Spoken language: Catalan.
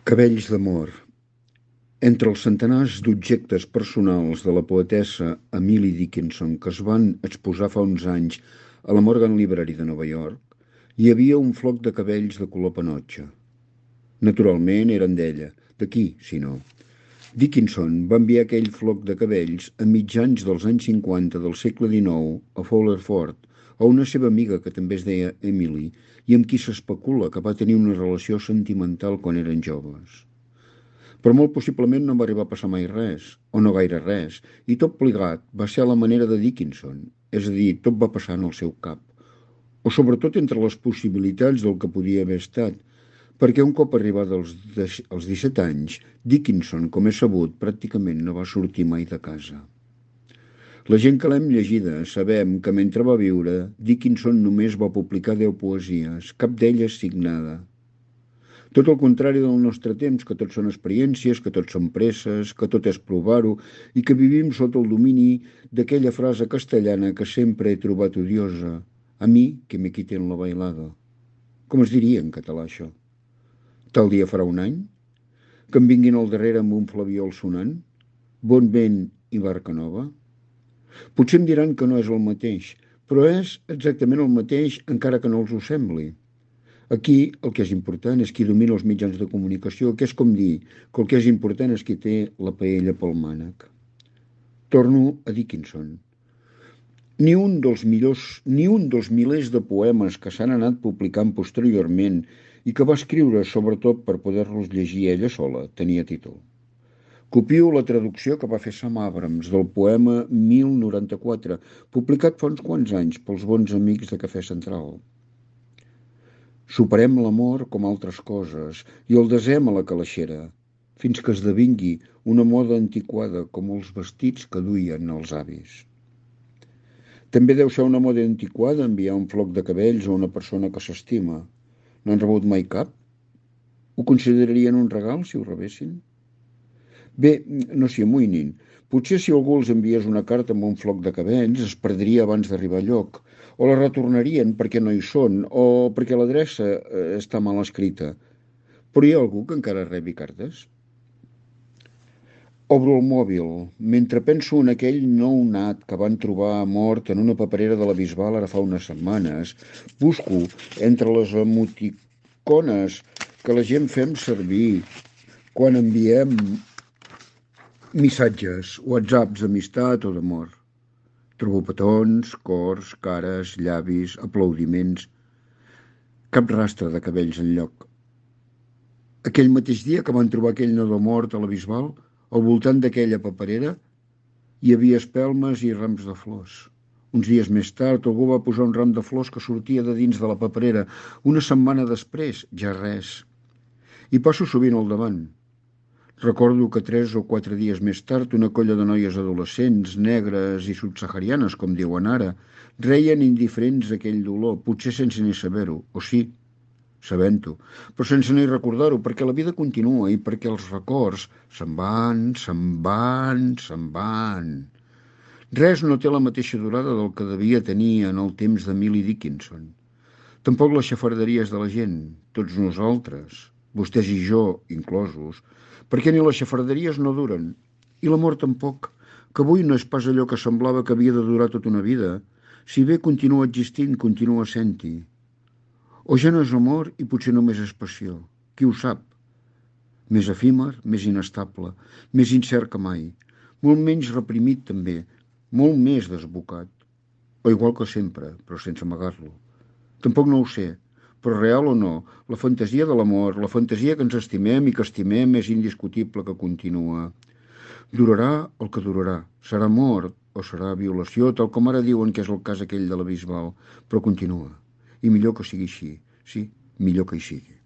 Cabells d'amor. Entre els centenars d'objectes personals de la poetessa Emily Dickinson que es van exposar fa uns anys a la Morgan Library de Nova York, hi havia un floc de cabells de color panotxa. Naturalment eren d'ella, de qui, si no? Dickinson va enviar aquell floc de cabells a mitjans dels anys 50 del segle XIX a Fowler Ford, a una seva amiga que també es deia Emily i amb qui s'especula que va tenir una relació sentimental quan eren joves. Però molt possiblement no va arribar a passar mai res, o no gaire res, i tot plegat va ser a la manera de Dickinson, és a dir, tot va passar en el seu cap, o sobretot entre les possibilitats del que podia haver estat, perquè un cop arribada als 17 anys, Dickinson, com és sabut, pràcticament no va sortir mai de casa. La gent que l'hem llegida sabem que mentre va viure, Dickinson només va publicar 10 poesies, cap d'elles signada. Tot el contrari del nostre temps, que tot són experiències, que tot són presses, que tot és provar-ho i que vivim sota el domini d'aquella frase castellana que sempre he trobat odiosa. A mi, que me quiten la bailada. Com es diria en català, això? Tal dia farà un any? Que em vinguin al darrere amb un flabiol sonant? Bon vent i barca nova? Potser em diran que no és el mateix, però és exactament el mateix encara que no els ho sembli. Aquí el que és important és qui domina els mitjans de comunicació, que és com dir que el que és important és qui té la paella pel mànec. Torno a Dickinson. Ni un dels milers de poemes que s'han anat publicant posteriorment i que va escriure sobretot per poder-los llegir ella sola tenia títol. Copio la traducció que va fer Sam Abrams del poema 1094, publicat fa uns quants anys pels bons amics de Cafè Central. Superem l'amor com altres coses i el desem a la calaixera, fins que esdevingui una moda antiquada com els vestits que duien els avis. També deu ser una moda antiquada enviar un floc de cabells a una persona que s'estima. No han rebut mai cap? Ho considerarien un regal si ho rebessin? Bé, no s'hi amoïnin. Potser si algú els enviés una carta amb un floc de cabells es perdria abans d'arribar a lloc, o la retornarien perquè no hi són, o perquè l'adreça està mal escrita. Però hi ha algú que encara rebi cartes? Obro el mòbil, mentre penso en aquell nounat que van trobar mort en una paperera de la Bisbal ara fa unes setmanes. Busco entre les emoticones que la gent fem servir quan enviem missatges, whatsapps d'amistat o d'amor. Trobo petons, cors, cares, llavis, aplaudiments. Cap rastre de cabells enlloc. Aquell mateix dia que van trobar aquell nadó mort a la Bisbal, al voltant d'aquella paperera hi havia espelmes i rams de flors. Uns dies més tard algú va posar un ram de flors que sortia de dins de la paperera. Una setmana després, ja res. I passo sovint al davant. Recordo que 3 o 4 dies més tard una colla de noies adolescents, negres i subsaharianes, com diuen ara, reien indiferents aquell dolor, potser sense ni saber-ho, o sí, sabent-ho, però sense ni recordar-ho, perquè la vida continua i perquè els records se'n van, se'n van, se'n van. Res no té la mateixa durada del que devia tenir en el temps d'Emily Dickinson. Tampoc les xafarderies de la gent, tots nosaltres, vostès i jo inclosos, perquè ni les xafarderies no duren, i l'amor tampoc, que avui no és pas allò que semblava que havia de durar tota una vida, si bé continua existint, continua sent-hi. O ja no és amor i potser només és passió, qui ho sap? Més efímer, més inestable, més incert que mai, molt menys reprimit també, molt més desbocat, o igual que sempre, però sense amagar-lo. Tampoc no ho sé, però real o no, la fantasia de l'amor, la fantasia que ens estimem i que estimem és indiscutible que continua. Durarà el que durarà, serà mort o serà violació, tal com ara diuen que és el cas aquell de la Bisbal, però continua. I millor que sigui així, sí, millor que hi sigui.